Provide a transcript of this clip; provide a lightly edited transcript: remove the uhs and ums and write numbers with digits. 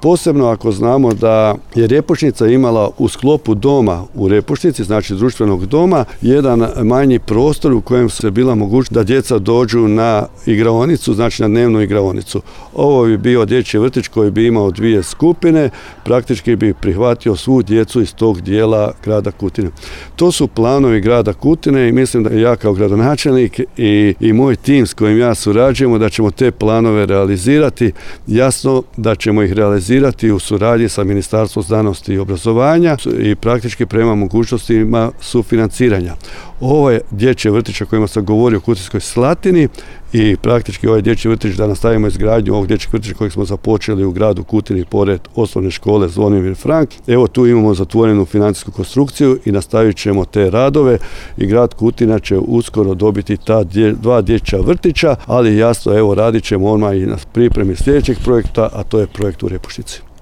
Posebno ako znamo da je Repušnica imala u sklopu doma u Repušnici, znači društvenog doma, jedan manji prostor u kojem se bila mogućnost da djeca dođu na igraonicu, znači na dnevnu igraonicu. Ovo bi bio dječji vrtić koji bi imao 2 skupine, praktički bi prihvatio svu djecu iz tog dijela grada Kutine. To su planovi grada Kutine i mislim da ja kao gradonačelnik i moj tim s kojim ja surađujemo da ćemo te planove realizirati. Jasno da ćemo ih realizirati u suradnji sa Ministarstvom znanosti i obrazovanja i praktički prema mogućnostima sufinanciranja. Ovo je dječji vrtić o kojima sam govorio u Kutinskoj Slatini i praktički ovaj dječji vrtić da nastavimo izgradnju ovog dječjeg vrtića kojeg smo započeli u gradu Kutini pored osnovne škole Zvonimir Frank. Evo tu imamo zatvorenu financijsku konstrukciju i nastavit ćemo te radove i grad Kutina će uskoro dobiti ta 2 dječja vrtića, ali jasno evo radit ćemo odmah i na pripremi sljedećeg projekta, a to je projekt u Repušnici.